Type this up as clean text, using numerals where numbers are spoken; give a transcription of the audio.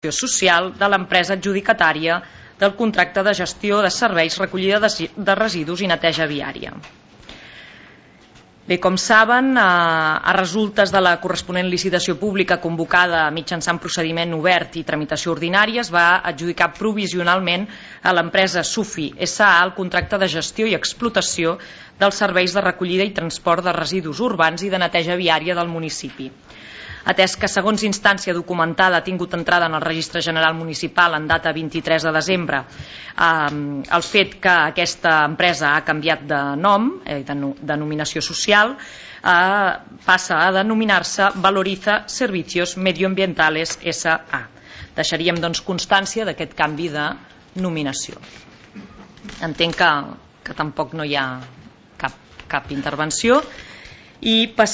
social de l'empresa adjudicatària del contracte de gestió de serveis, recollida de residus i neteja viària. Bé, com saben, a resultes de la corresponent licitació pública convocada mitjançant procediment obert i tramitació ordinària, es va adjudicar provisionalment a l'empresa Sufi S.A. el contracte de gestió i explotació dels serveis de recollida i transport de residus urbans i de neteja viària del municipi. Atès que, segons instància documentada, ha tingut entrada en el Registre General Municipal en data 23 de desembre el fet que aquesta empresa ha canviat de nom, de denominació social, passa a denominar-se Valoriza Servicios Medioambientales S.A. Deixaríem, doncs, constància d'aquest canvi de nominació. Entenc que tampoc no hi ha cap intervenció i passarem